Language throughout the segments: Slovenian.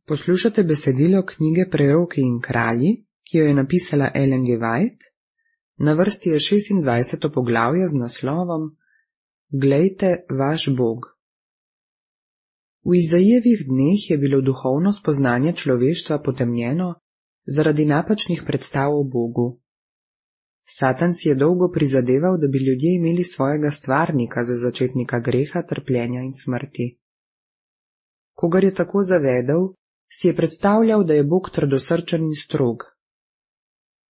Poslušate besedilo knjige Preroki in kralji, ki jo je napisala Ellen G. White. Na vrsti je 26. poglavje z naslovom Glejte vaš Bog. V Izajevih dneh je bilo duhovno spoznanje človeštva potemnjeno zaradi napačnih predstav o Bogu. Satan si je dolgo prizadeval, da bi ljudje imeli svojega stvarnika za začetnika greha, trpljenja in smrti. Kogar je tako zavedel, si je predstavljal, da je Bog trdosrčen in strog.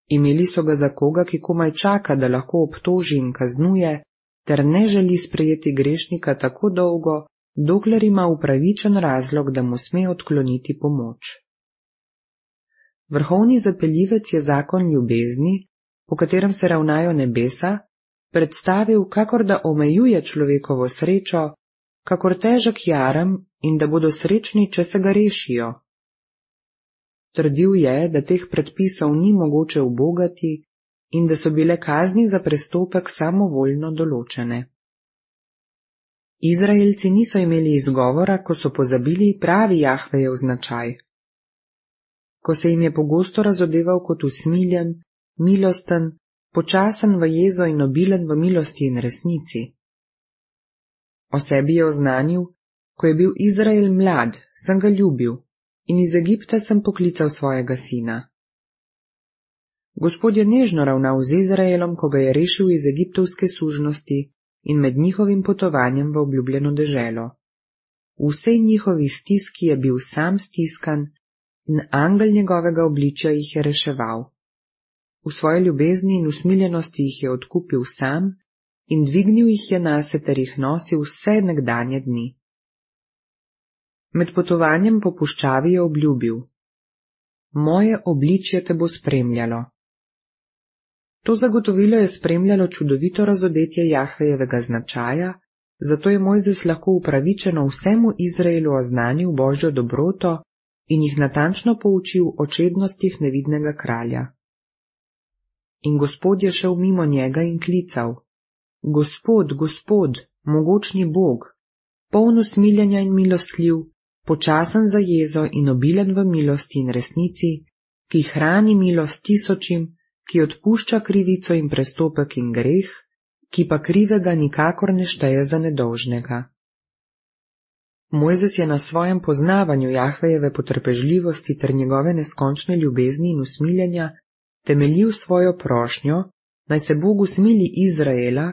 Imeli so ga za koga, ki komaj čaka, da lahko obtoži in kaznuje, ter ne želi sprejeti grešnika tako dolgo, dokler ima upravičen razlog, da mu sme odkloniti pomoč. Vrhovni zapeljivec je zakon ljubezni, po katerem se ravnajo nebesa, predstavil, kakor da omejuje človekovo srečo, kakor težek jarem in da bodo srečni, če se ga rešijo. Trdil je, da teh predpisov ni mogoče ubogati in da so bile kazni za prestopek samovoljno določene. Izraelci niso imeli izgovora, ko so pozabili pravi Jahvejev značaj. Ko se jim je pogosto razodeval kot usmiljen, milosten, počasen v jezo in obilen v milosti in resnici. O sebi je oznanil: ko je bil Izrael mlad, sem ga ljubil in iz Egipta sem poklical svojega sina. Gospod je nežno ravnal z Izraelom, ko ga je rešil iz egiptovske sužnosti in med njihovim potovanjem v obljubljeno deželo. V vsej njihovi stiski je bil sam stiskan in angel njegovega obličja jih je reševal. V svoji ljubezni in usmiljenosti jih je odkupil sam in dvignil jih je nase ter jih nosil vse nekdanje dni. Med potovanjem po puščavi je obljubil: moje obličje te bo spremljalo. To zagotovilo je spremljalo čudovito razodetje Jahvejevega značaja, zato je Mojzes lahko upravičeno vsemu Izraelu oznanil Božjo dobroto in jih natančno poučil o čednostih nevidnega kralja. In Gospod je šel mimo njega in klical: Gospod, Gospod, mogočni Bog, poln usmiljenja in milostljiv, počasen za jezo in obilen v milosti in resnici, ki hrani milost tisočim, ki odpušča krivico in prestopek in greh, ki pa krivega nikakor ne šteje za nedolžnega. Mojzes je na svojem poznavanju Jahvejeve potrpežljivosti ter njegove neskončne ljubezni in usmiljenja temeljil svojo prošnjo, naj se Bog usmili Izraela,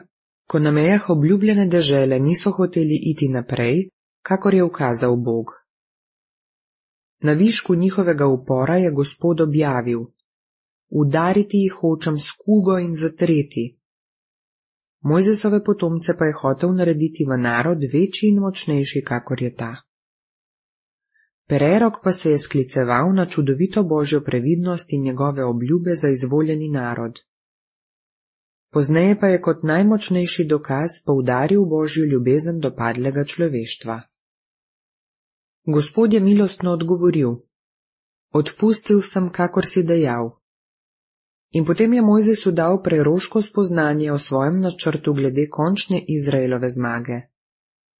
ko na mejah obljubljene dežele niso hoteli iti naprej, kakor je ukazal Bog. Na višku njihovega upora je Gospod objavil: udariti jih hočem s kugo in zatreti. Mojzesove potomce pa je hotel narediti v narod večji in močnejši, kakor je ta. Prerok pa se je skliceval na čudovito Božjo previdnost in njegove obljube za izvoljeni narod. Pozneje pa je kot najmočnejši dokaz poudaril Božjo ljubezen do padlega človeštva. Gospod je milostno odgovoril: odpustil sem, kakor si dejal. In potem je Mojzesu dal preroško spoznanje o svojem načrtu glede končne Izraelove zmage.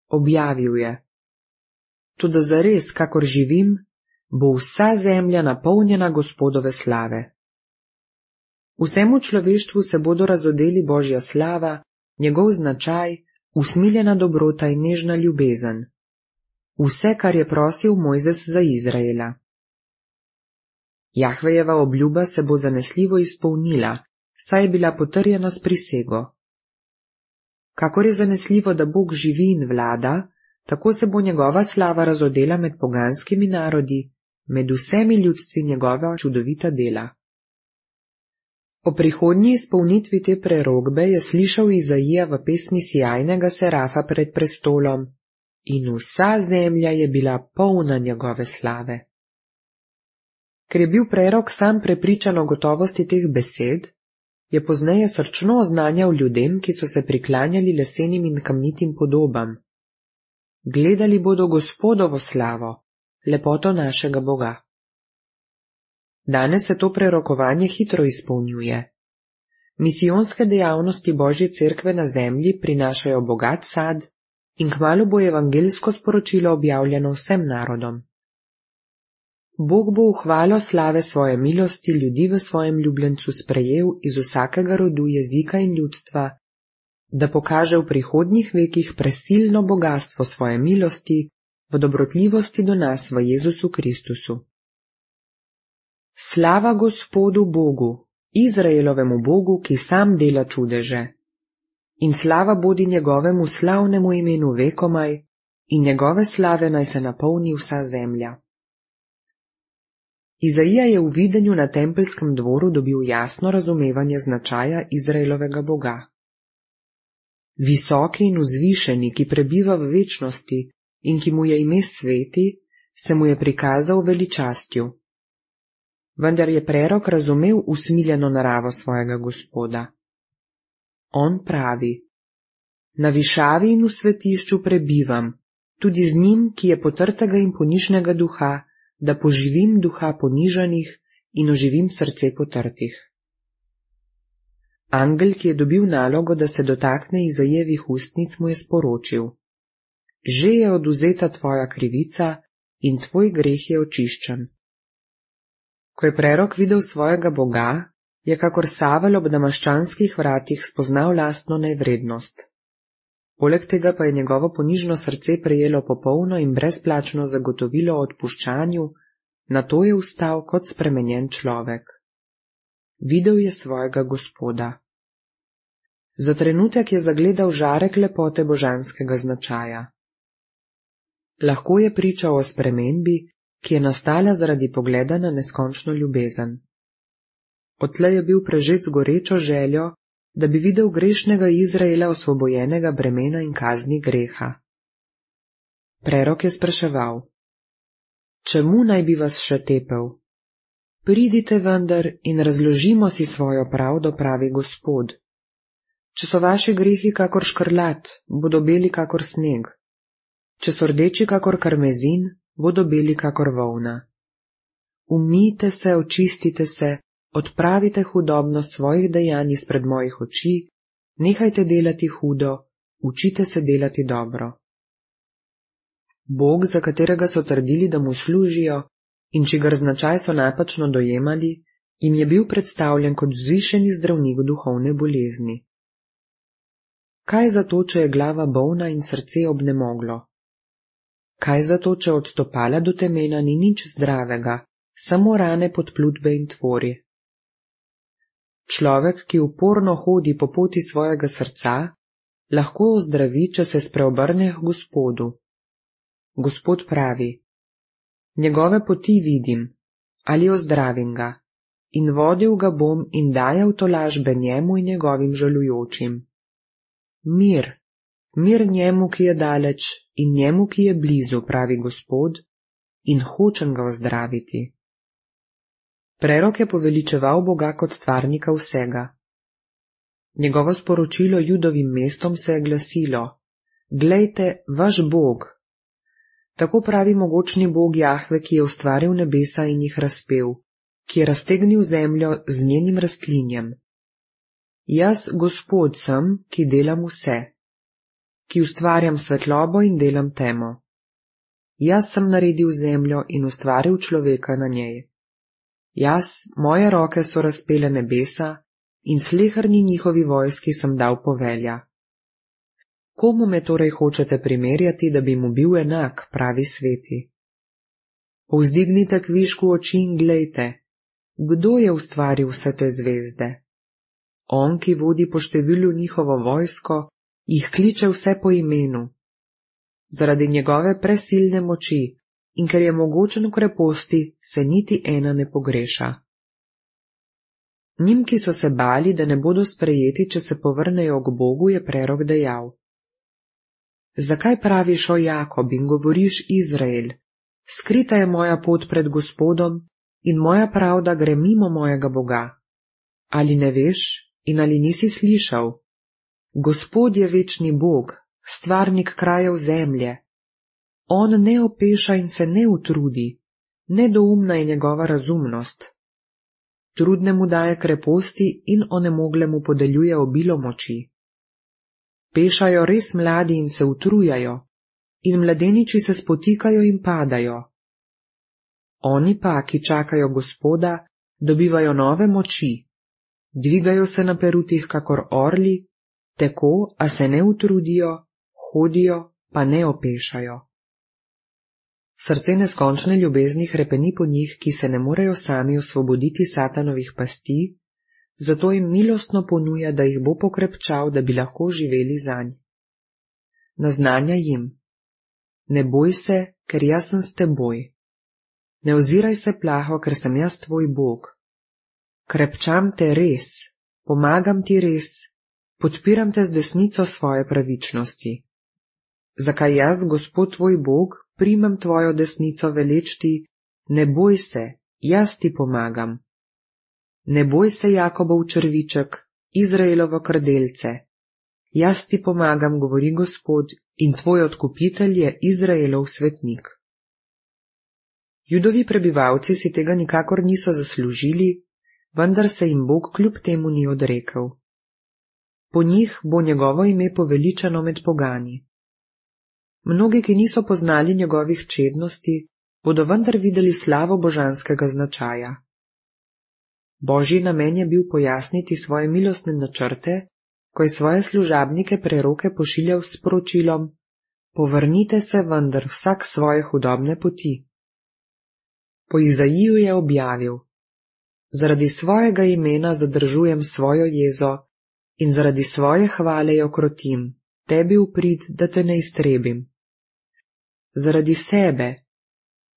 Objavil je: toda zares, kakor živim, bo vsa zemlja napolnjena Gospodove slave. Vsemu človeštvu se bodo razodeli Božja slava, njegov značaj, usmiljena dobrota in nežna ljubezen. Vse, kar je prosil Mojzes za Izraela. Jahvejeva obljuba se bo zanesljivo izpolnila, saj je bila potrjena s prisego. Kakor je zanesljivo, da Bog živi in vlada, tako se bo njegova slava razodela med poganskimi narodi, med vsemi ljudstvi njegova čudovita dela. O prihodnji izpolnitvi te prerokbe je slišal Izaija v pesmi sijajnega serafa pred prestolom: in vsa zemlja je bila polna njegove slave. Ker je bil prerok sam prepričan o gotovosti teh besed, je pozneje srčno oznanjal ljudem, ki so se priklanjali lesenim in kamnitim podobam: gledali bodo Gospodovo slavo, lepoto našega Boga. Danes se to prerokovanje hitro izpolnjuje. Misijonske dejavnosti Božje cerkve na zemlji prinašajo bogat sad in kmalu bo evangeljsko sporočilo objavljeno vsem narodom. Bog bo v hvalo slave svoje milosti ljudi v svojem ljubljencu sprejel iz vsakega rodu, jezika in ljudstva, da pokaže v prihodnjih vekih presilno bogastvo svoje milosti v dobrotljivosti do nas v Jezusu Kristusu. Slava Gospodu Bogu, Izraelovemu Bogu, ki sam dela čudeže. In slava bodi njegovemu slavnemu imenu vekomaj, in njegove slave naj se napolni vsa zemlja. Izaija je v videnju na tempelskem dvoru dobil jasno razumevanje značaja Izraelovega Boga. Visoki in vzvišeni, ki prebiva v večnosti in ki mu je ime sveti, se mu je prikazal veličastju. Vendar je prerok razumel usmiljeno naravo svojega Gospoda. On pravi: Na višavi in v svetišču prebivam, tudi z njim, ki je potrtega in ponižnega duha, da poživim duha ponižanih in oživim srce potrtih. Angel, ki je dobil nalogo, da se dotakne Izajevih ustnic, mu je sporočil: Že je odvzeta tvoja krivica in tvoj greh je očiščen. Ko je prerok videl svojega Boga, je kakor Savel ob damaščanskih vratih spoznal lastno nevrednost. Poleg tega pa je njegovo ponižno srce prejelo popolno in brezplačno zagotovilo o odpuščanju, nato je vstal kot spremenjen človek. Videl je svojega Gospoda. Za trenutek je zagledal žarek lepote božanskega značaja. Lahko je pričal o spremembi, ki je nastala zaradi pogleda na neskončno ljubezen. Odtlej je bil prežet z gorečo željo, da bi videl grešnega Izraela osvobojenega bremena in kazni greha. Prerok je spraševal: Čemu naj bi vas še tepel? Pridite vendar in razložimo si svojo pravdo, pravi Gospod. Če so vaši grehi kakor škrlat, bodo beli kakor sneg. Če so rdeči kakor karmezin, bodo beli kakor volna. Umijte se, očistite se, odpravite hudobnost svojih dejanj izpred mojih oči, nehajte delati hudo, učite se delati dobro. Bog, za katerega so trdili, da mu služijo in čigar značaj so napačno dojemali, jim je bil predstavljen kot vzvišeni zdravnik duhovne bolezni. Kaj zato, če je glava bolna in srce obnemoglo? Kaj zato, če od stopala do temena ni nič zdravega, samo rane podplutbe in tvori? Človek, ki uporno hodi po poti svojega srca, lahko ozdravi, če se spreobrne k Gospodu. Gospod pravi: Njegove poti vidim, ali ozdravim ga, in vodil ga bom in dajal tolažbe njemu in njegovim žalujočim. Mir, mir njemu, ki je daleč, in njemu, ki je blizu, pravi Gospod, in hočem ga ozdraviti. Prerok je poveličeval Boga kot stvarnika vsega. Njegovo sporočilo Judovim mestom se je glasilo: Glejte, vaš Bog. Tako pravi mogočni Bog Jahve, ki je ustvaril nebesa in jih razpel, ki je raztegnil zemljo z njenim rastlinjem. Jaz, Gospod, sem, ki delam vse, ki ustvarjam svetlobo in delam temo. Jaz sem naredil zemljo in ustvaril človeka na njej. Jaz, moje roke so razpele nebesa in sleherni njihovi vojski sem dal povelja. Komu me torej hočete primerjati, da bi mu bil enak, pravi sveti? Povzdignite kvišku oči in glejte, kdo je ustvaril vse te zvezde? On, ki vodi po številu njihovo vojsko, jih kliče vse po imenu. Zaradi njegove presilne moči in ker je mogočen v kreposti, se niti ena ne pogreša. Njim, ki so se bali, da ne bodo sprejeti, če se povrnejo k Bogu, je prerok dejal: Zakaj praviš, o Jakob, in govoriš, Izrael, skrita je moja pot pred Gospodom in moja pravda gre mimo mojega Boga? Ali ne veš in ali nisi slišal? Gospod je večni Bog, stvarnik krajev zemlje. On ne opeša in se ne utrudi, nedoumna je njegova razumnost. Trudnemu daje kreposti in onemoglemu podeljuje obilo moči. Pešajo res mladi in se utrujajo, in mladeniči se spotikajo in padajo. Oni pa, ki čakajo Gospoda, dobivajo nove moči, dvigajo se na perutih kakor orli, tako, a se ne utrudijo, hodijo, pa ne opešajo. Srce neskončne ljubezni hrepeni po njih, ki se ne morejo sami osvoboditi satanovih pasti, zato jim milostno ponuja, da jih bo pokrepčal, da bi lahko živeli zanj. Naznanja jim: ne boj se, ker jaz sem s teboj. Ne oziraj se plaho, ker sem jaz tvoj Bog. Krepčam te res, pomagam ti res, podpiram te z desnico svoje pravičnosti. Zakaj jaz, Gospod tvoj Bog, primem tvojo desnico veleč ti: ne boj se, jaz ti pomagam. Ne boj se, Jakobov črviček, Izraelovo krdelce. Jaz ti pomagam, govori Gospod, in tvoj odkupitelj je Izraelov svetnik. Judovi prebivalci si tega nikakor niso zaslužili, vendar se jim Bog kljub temu ni odrekel. Po njih bo njegovo ime poveličano med pogani. Mnogi, ki niso poznali njegovih čednosti, bodo vendar videli slavo božanskega značaja. Božji namen je bil pojasniti svoje milostne načrte, ko je svoje služabnike preroke pošiljal s sporočilom: povrnite se vendar vsak svoje hudobne poti. Po Izaiju je objavil: zaradi svojega imena zadržujem svojo jezo in zaradi svoje hvale jo krotim, tebi v prid, da te ne iztrebim.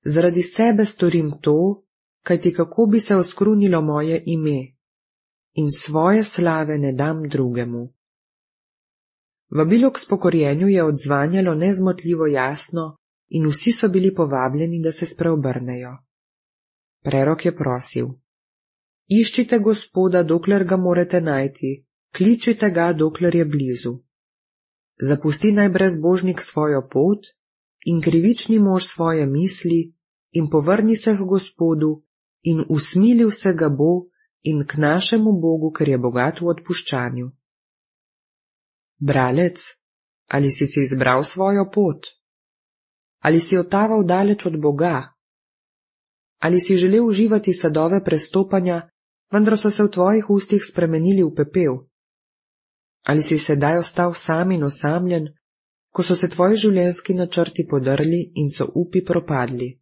Zaradi sebe storim to, kajti kako bi se oskrunilo moje ime, in svoje slave ne dam drugemu. Vabilo k spokorjenju je odzvanjalo nezmotljivo jasno in vsi so bili povabljeni, da se spreobrnejo. Prerok je prosil: iščite Gospoda, dokler ga morete najti, kličite ga, dokler je blizu. Zapusti naj brezbožnik svojo pot in krivični mož svoje misli in povrni se k Gospodu in usmilil se ga bo in k našemu Bogu, ker je bogat v odpuščanju. Bralec, ali si izbral svojo pot? Ali si otaval daleč od Boga? Ali si želel uživati sadove prestopanja, vendar so se v tvojih ustih spremenili v pepel? Ali si sedaj ostal sam in osamljen, ko so se tvoji življenjski načrti podrli in so upi propadli?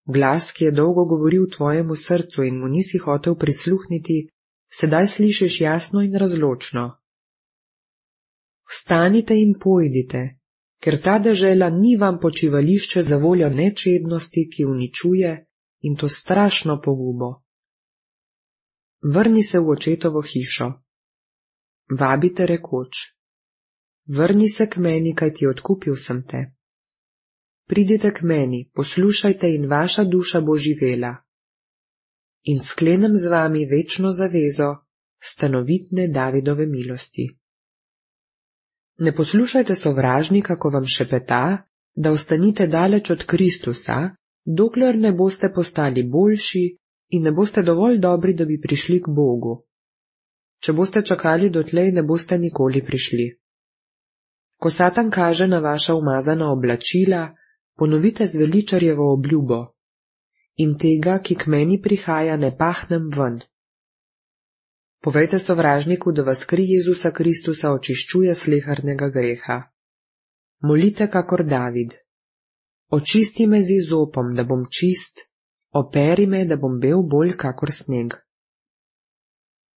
Glas, ki je dolgo govoril tvojemu srcu in mu nisi hotel prisluhniti, sedaj slišiš jasno in razločno. Vstanite in pojdite, ker ta dežela ni vam počivališče za voljo nečednosti, ki uničuje, in to strašno pogubo. Vrni se v očetovo hišo. Vabite rekoč: vrni se k meni, kajti odkupil sem te. Pridite k meni, poslušajte in vaša duša bo živela. In sklenem z vami večno zavezo, stanovitne Davidove milosti. Ne poslušajte sovražnika, ko vam šepeta, da ostanite daleč od Kristusa, dokler ne boste postali boljši in ne boste dovolj dobri, da bi prišli k Bogu. Če boste čakali dotlej, ne boste nikoli prišli. Ko Satan kaže na vaša umazana oblačila, ponovite zveličarjevo obljubo: in tega, ki k meni prihaja, ne pahnem ven. Povejte sovražniku, da vas kri Jezusa Kristusa očiščuje slehernego greha. Molite kakor David: očisti me z izopom, da bom čist, operi me, da bom bel bolj kakor sneg.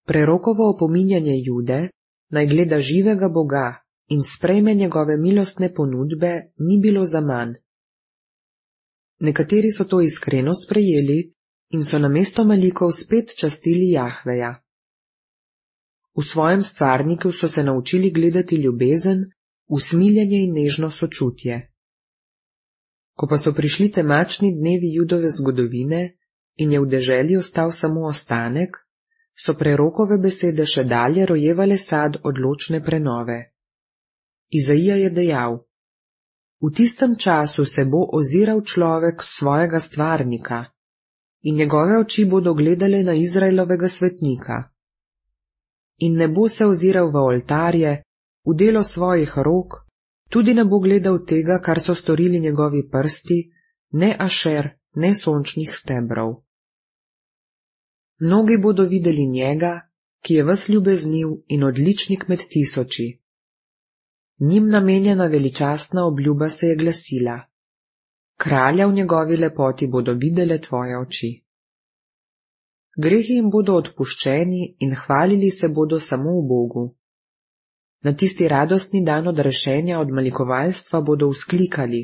Prerokovo opominjanje Jude, naj gleda živega Boga in sprejme njegove milostne ponudbe, ni bilo zaman. Nekateri so to iskreno sprejeli in so namesto malikov spet častili Jahveja. V svojem stvarniku so se naučili gledati ljubezen, usmiljenje in nežno sočutje. Ko pa so prišli temačni dnevi Judove zgodovine in je v deželi ostal samo ostanek, so prerokove besede še dalje rojevale sad odločne prenove. Izaija je dejal: v tistem času se bo oziral človek svojega stvarnika in njegove oči bodo gledale na Izraelovega svetnika. In ne bo se oziral v oltarje, v delo svojih rok, tudi ne bo gledal tega, kar so storili njegovi prsti, ne Ašer, nesončnih stebrov. Mnogi bodo videli njega, ki je ves ljubezniv in odličnik med tisoči. Njim namenjena veličastna obljuba se je glasila: kralja v njegovi lepoti bodo videle tvoje oči. Grehi jim bodo odpuščeni in hvalili se bodo samo v Bogu. Na tisti radostni dan odrešenja od malikovalstva bodo vzklikali: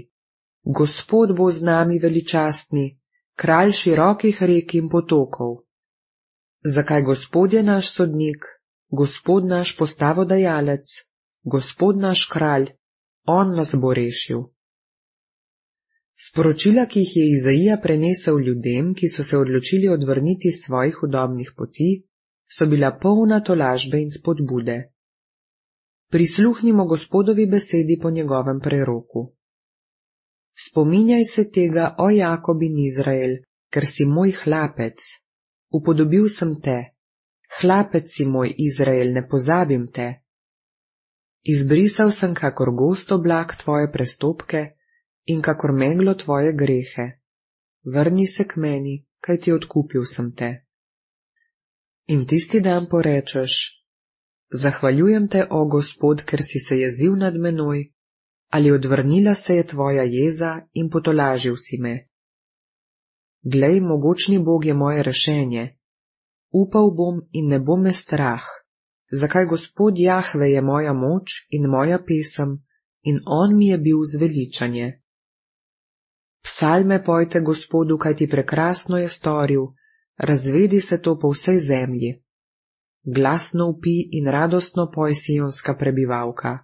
Gospod bo z nami veličastni, kralj širokih rek in potokov. Zakaj Gospod je naš sodnik, Gospod naš postavodajalec, Gospod naš kralj, on nas bo rešil. Sporočila, ki jih je Izaija prenesel ljudem, ki so se odločili odvrniti svojih hudobnih poti, so bila polna tolažbe in spodbude. Prisluhnimo Gospodovi besedi po njegovem preroku. Spominjaj se tega, o Jakob in Izrael, ker si moj hlapec. Upodobil sem te. Hlapec si moj, Izrael, ne pozabim te. Izbrisal sem kakor gost oblak tvoje prestopke in kakor meglo tvoje grehe. Vrni se k meni, kajti odkupil sem te. In tisti dan porečeš: Zahvaljujem te, o Gospod, ker si se jezil nad menoj, ali odvrnila se je tvoja jeza in potolažil si me. Glej, mogočni Bog je moje rešenje. Upal bom in ne bo me strah. Zakaj Gospod Jahve je moja moč in moja pesem in on mi je bil zveličanje. Psalme pojte Gospodu, kajti prekrasno je storil, razvedi se to po vsej zemlji. Glasno vpij in radostno poj, sionska prebivalka.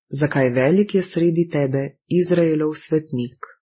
Zakaj velik je sredi tebe Izraelov svetnik.